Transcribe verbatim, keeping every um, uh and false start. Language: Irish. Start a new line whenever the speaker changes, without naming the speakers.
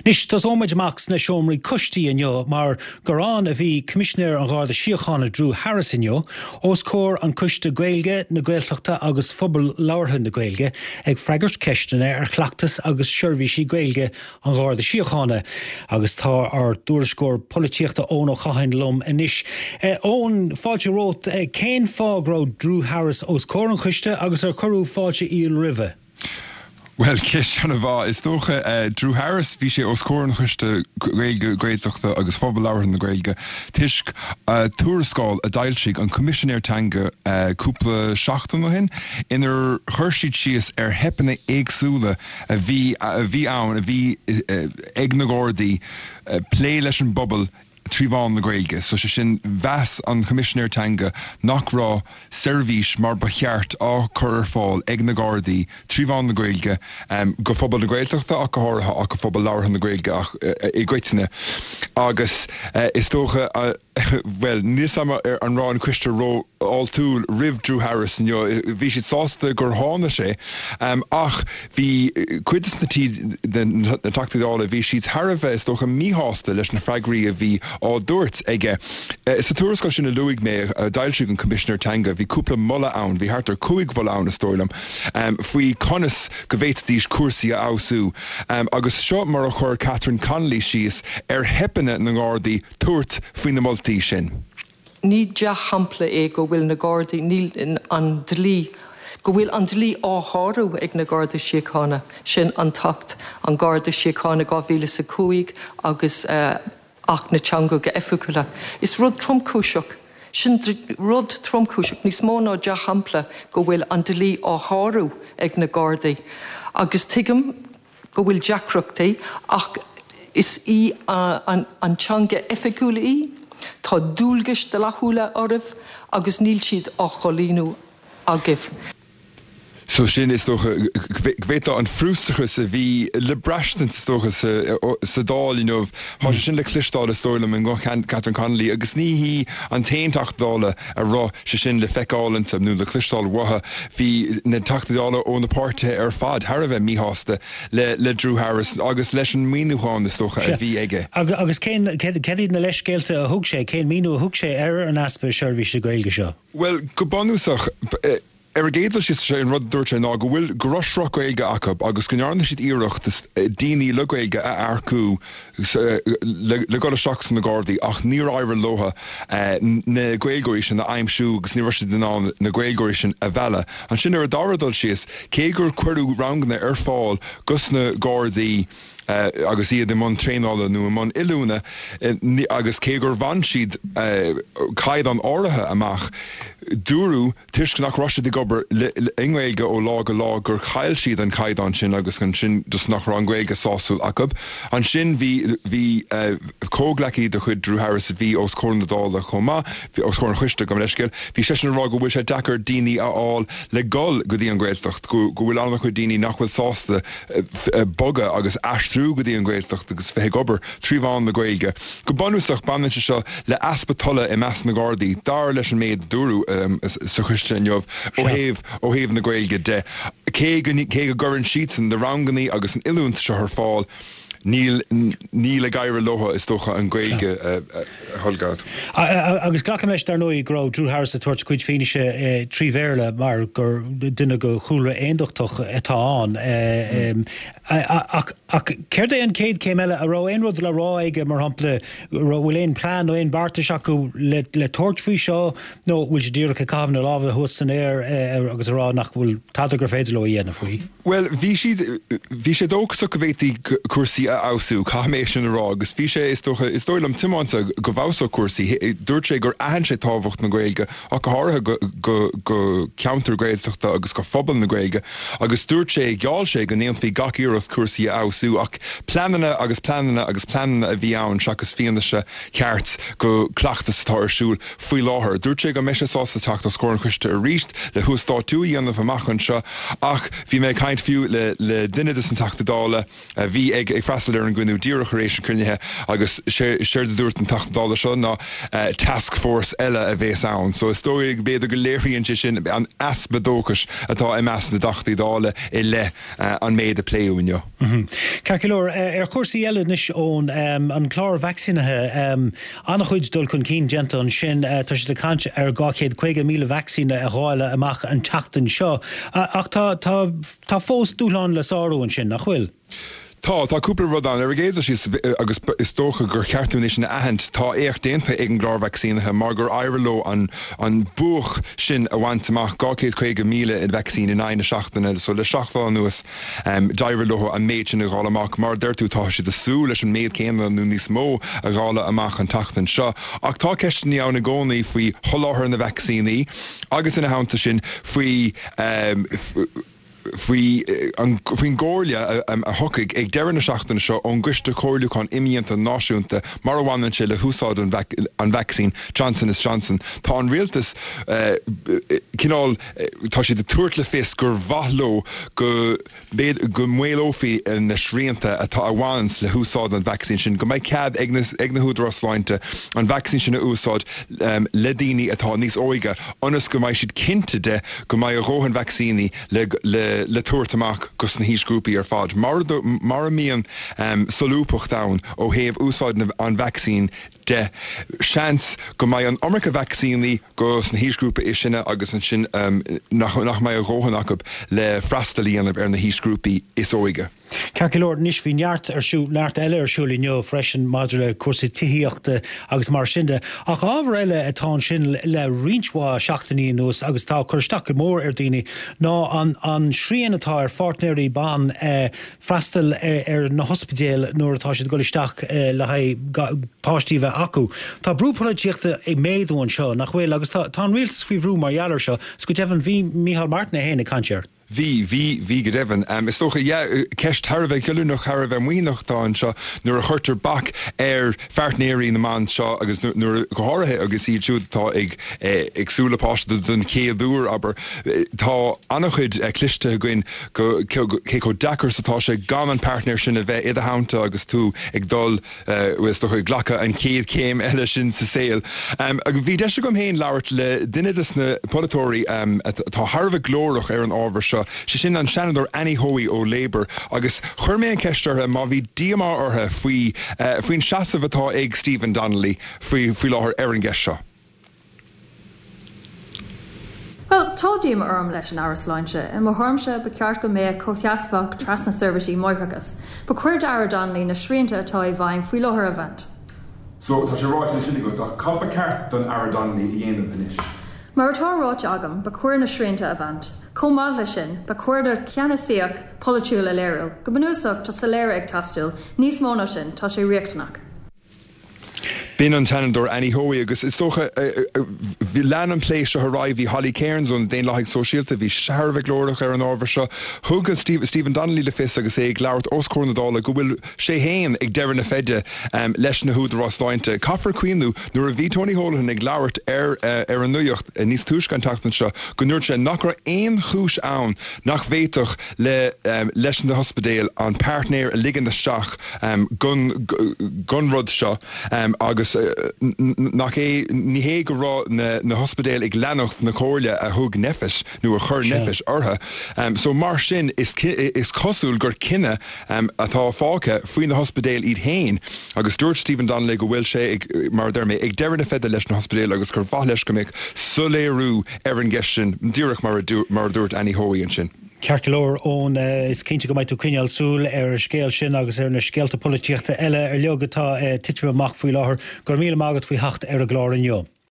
Anois tosóimid amach sna seomraí coistí inniu mar gur ann a bhí Coimisinéir an Gharda Síochána Drew Harris inniu, os comhair an Coiste Gaeilge, na Gaeltachta agus Phobal Labhartha na Gaeilge ag freagairt ceisteanna ar chleachtas agus seirbhísí Gaeilge an Gharda Síochána. Agus tá ár dtuairisceoir polaitíochta Eoin Ó Catháin liom anois. Eoin, fáilte romhat, cén fáth go raibh Drew Harris os comhair an choiste agus ar cuireadh fáilte fhial roimhe?
Well ceist an-mhaith is dócha uh, Drew Harris bhí sé os comhair an choiste Gaeilge Gaeltachta agus phobal labhartha na Gaeilge toisc uh, tuarascáil a d'fhoilsigh an Coimisinéir Teanga uh, cúpla seachtain ó shin inar chuir siad síos ar theipeanna éagsúla a bhí a bhí ann a bhí uh, ag na Gardaí uh, plé leis an bpobal trí mheán na Gaeilge, so sé sin mheas an Coimisinéir Teanga nach raibh seirbhís mar ba cheart á chur ar fáil ag na Gardaí trí mheán na Gaeilge um, go phobal na Gaeltachta ach go háirithe ach go phobal labhartha na Gaeilge ach uh, i gcoitinne. Agus uh, is dócha uh, well níos ar an raibh an coiste rófháiltiúil roimh Drew Harris inniu bhí siad sásta gur tháinig sé um, ach bhí cuid de na Teachtaí Dála bhí siad thar a bheith is dócha míshásta leis na freagraí a bhí á dtabhairt aige. Sa tuarascáil sin a luaigh mé a d'fhoilsigh an Coimisinéir Teanga, bhí cúpla moladh ann, bhí thart ar cúig mholadh ann is dóigh liom, um, faoi conas go bhféadfaidís cúrsaí a fheabhsú. Um, agus seo mar a chuir Catherine Connolly síos ar theipeanna na nGardaí tabhairt faoi na moltaí sin.
Ní dea-shampla é go bhfuil na Gardaí níl an dlí go bhfuil an dlí á shárú ag na Gardaí Síochána sin an tAcht an Garda Síochána dhá mhíle a cúig agus uh, Acht na dTeangacha Oifigiúla. Is rud tromchúiseach sin rud tromchúiseach níos mó ná dea-shampla go bhfuil an dlí á shárú ag na Gardaí. Agus tuigim go bhfuil deacrachtaí ach is í uh, an, an teanga oifigiúil í, Tá dualgais dlíthiúla oraibh agus níl siad á gcomhlíonadh agaibh.
So sin is dócha b'fhéidir an frustrachas a bhí le braistint is dócha sa Dáil inniu Tá sin le cloisteáil is dóigh liom i nguth Catherine Connolly agus ní hí an t-aon Teachta Dála a raibh sé sin le feiceáil inti nó le cloisteáil uaithi bhí na Teachtaí Dála ó na páirtithe ar fad thar a bheith míshásta le le Drew Harris agus leis an míniúchán is dócha a bhí aige.
Agus cén céard na leithscéalta a thug sé cén míniú a thug sé ar an easpa seirbhíse Gaeilge seo.
Well go bunúsach Ar an gcéad dul síos sé an rud dúirt sé ná go bhfuil go raibh sruth Gaeilge acu agus go ndearna siad iarracht daoine le Gaeilge a earcú le dul isteach sna Gardaí ach níor éirigh leo na Gaeilgeoirí sin a aimsiú agus ní raibh siad in ann na Gaeilgeoirí sin a mhealladh. Ansin ar an dara dul síos cé gur cuireadh ranganna ar fáil dos na Gardaí Uh, agus iad i mbun traenála nó i mbun oiliúna uh, agus cé gur bhain siad uh, caighdeán áirithe amach dúradh toisc nach raibh siad ag obair i nGaeilge ó lá go lá gur chaill siad an caighdeán sin agus ansin just nach raibh an Ghaeilge sásúil acu. Ansin bhí bhí comhghleacaí de chuid Drew Harris a bhí os comhair na Dála chomh maith, bhí os comhair an choiste gabh mo leithscéal, bhí seisean ag rá go bhfuil sé deacair daoine a fháil le dul go dtí an Ghaeltacht, go bhfuil an-chuid daoine nach bhfuil sásta bogadh agus aistriú go dtí an Ghaeltacht agus bheith ag obair trí mheán na Gaeilge. Go bunúsach baineann sé seo le easpa tola i measc na Gardaí, dar leis an méid a dúradh um, sa choiste inniu ó thaobh ó thaobh na Gaeilge de. Cé go cé go gcuireann siadsan na ranganna agus an oiliúint seo ar fáil, níl níl ag éirí leo is dócha an Ghaeilge a tholgad.
Agus glacaim leis dar ndóigh go raibh Drew Harris ag tabhairt cuid fianaise trí Bhéarla mar gur duine de chúlra aondachtach atá ann. Ach céard é an chéad chéim eile a raibh aon rud le rá aige mar shampla bhfuil aon plean nó aon beartas acu le le tabhairt faoi seo nó bhfuil sé díreach ag caitheamh na lámha thuas san aer agus a rá nach bhfuil tada gur féidir leo a dhéanamh faoi.
Well bhí siad bhí sé dóchasach go bhféadfaí cúrsaí a fheabhsú caithfidh mé sin a rá agus bhí sé is dócha is dóigh liom tiomanta go bhfeabhsódh cúrsaí. Dúirt sé gur aithin sé tábhacht na Gaeilge ach go háirithe go go go ceantar Gaeltachta agus go phobal na Gaeilge agus dúirt sé gheall sé go ndéanfaí gach iarracht cúrsaí a fheabhsú ach pleananna agus pleananna agus pleananna a bhí ann seachas fianaise ceart go cleachtas atá ar siúl faoi láthair. Dúirt sé go mbeidh sé sásta teacht os comhair an choiste arís le huasdátú a dhéanamh amach anseo ach bhí mé ag caint fiú le le duine de na Teachtaí Dála a bhí ag ag freastal ar an gcruinniú díreach tar éis an chruinnithe agus séard a dúirt an Teachta Dála seo ná task force eile a bheas ann. So is dóigh b'fhéidir go léiríonn sé sin an easpa dóchais atá i measc na dTeachtaí Dála i leith an méid a pléadh inniu.
Ceart go leor, ar chúrsaí eile anois ón an clár vacsaínithe, an-chuid dul chun cinn déanta ansin, tá siad ag caint ar dhá chéad caoga míle vacsaín a dháileadh amach an tseachtain seo, ach tá tá tá fós dúshlán le sárú ansin, nach bhfuil?
Tá, tá cúpla rud ann. Ar an gcéad dul síos, agus is dócha gur cheart dúinn é sin a aithint, tá éacht déanta ag an gclár vacsaínithe mar gur éirigh leo an an buaic sin a bhaint amach, dhá chéad caoga míle vacsaín in aghaidh na seachtaine. So le seacht lá anuas d'éirigh leo an méid sin a dháileadh amach. Mar a deir tú, tá siad ag súil leis an méid céanna nó níos mó a dháileadh amach an tseachtain seo. Ach tá ceisteanna ann i gcónaí faoi sholáthar na vacsaíní agus ina theannta sin faoi faoi faoin gcomhairle a thiocfaidh ag deireadh na seachtaine seo ón gCoiste Comhairliúcháin Imdhíonta Náisiúnta mar a bhaineann sé le húsáid an vacsaín Johnson is Johnson. Tá an rialtas cineál, tá siad ag tabhairt le fios gur mhaith leo go go maolófaí na srianta atá a bhaineanns le húsáid an vacsaín sin, go mbeidh cead ag na ag na húdaráis sláinte an vacsaín sin a úsáid le daoine atá níos óige ionas go mbeidh siad cinnte de go mbeidh a dhóthain vacsaíní le le le tabhairt amach go sna haoisghrúpaí ar fad. Mar mura mbíonn solúbthacht ann ó thaobh úsáid an vacsaín de, seans go mbeidh an iomarca vacsaíní go sna haoisghrúpaí is sine agus ansin nach mbeidh a dhóthain acu le freastal a dhéanamh ar na haoisghrúpaí is óige.
Ceart go leor, anois bhí neart ar siúl, neart eile ar siúl inniu freisin maidir le cúrsaí tithíochta agus mar sin de. Ach ábhar eile atá ansin le roinnt mhaith seachtainí anuas agus atá ag cur isteach go mór ar dhaoine ná an an srian atá ar pháirtnéirí ban freastal ar na hospidéil nuair atá siad ag dul isteach le haghaidh páistí a bheith acu. Tá brú polaitíochta ag méadú anseo, nach bhfuil? Agus tá an rialtas faoi bhrú mar gheall air seo, 's go deimhin bhí Micheál Martin é féin ag caint air.
Bhí, bhí, bhí go deimhin. Is dócha, yeah, ceist thar a bheith goilliúnach, thar a bheith maoithneach atá anseo nuair a chuirtear bac ar pháirtnéirí na mban seo agus nuair, go háirithe agus iad siúd atá ag ag súil le páiste don chéad uair, abair. Tá an-chuid cloiste againn go cé chomh deacair is atá sé gan an páirtnéir sin a bheith i do theannta agus tú ag dul is dócha ag glacadh an chéad chéim eile sin sa saol. Agus bhí deis agam féin labhairt le duine de na polaiteoirí atá thar a bheith glórach ar an ábhar seo, sé sin an Seanadóir Annie Hoey ó Labour, agus chuir mé an cheist uirthi má bhí díomá uirthi faoi faoin seasamh atá ag Stephen Donnelly faoi faoi láthair ar an gceist seo.
Bhuel, tá díomá orm leis an Aire Sláinte. I mo thuairimse, ba cheart go mbeadh comhsheasmhacht trasna seirbhísí máithreachais. Ba chóir d'Aire Donnelly na srianta atá i bhfeidhm faoi láthair a bhaint.
So, tá sé ráite ansin agat, ach cad ba cheart don Aire Donnelly a dhéanamh anois?
Mar atá ráite agam, ba chóir na srianta a bhaint. Chomh maith leis sin, ba chóir dó ceannasaíocht pholaitiúil a léiriú. Go bunúsach, tá soiléire ag teastáil. Níos mó ná sin, tá sé riachtanach.
B'in an tSeanadóir Annie Hoey agus is dócha, lean an plé seo ar aghaidh, bhí Holly Cairns ó na Daonlathaigh Sóisialta, bhí sí thar a bheith glórach ar an ábhar seo. Thug Stephen Donnelly le fios agus é ag labhairt os comhair na Dála go bhfuil sé féin ag deireadh na feide leis na húdaráis sláinte. Caithfear cuimhniú nuair a bhí Tony Holohan ag labhairt ar ar an Nuacht níos túisce an tseachtain seo go ndúirt sé nach raibh aon chúis ann nach bhféadfadh le leis na hospidéil an páirtnéir a ligean isteach gon gon rud seo agus nach é ní hé go raibh na na hospidéil ag leanacht na comhairle a thug NPHET nó a chuir NPHET orthu. So mar sin is is cosúil gur cinneadh atá fágtha faoi na hospidéil iad féin agus dúirt Stephen Donnelly go bhfuil sé ag mar a deir mé ag deireadh na feide leis na hospidéil agus gur mhaith leis go mbeadh soiléiriú ar an gceist sin díreach mar a mar a dúirt Annie Hoey ansin.
Ceart go leor, Eoin, is cinnte go mbeidh tú ag coinneáil súil ar an scéal sin agus ar na scéalta polaitíochta eile uilig atá ag titim amach faoi láthair. Go raibh míle maith agat faoi theacht ar an gclár inniu.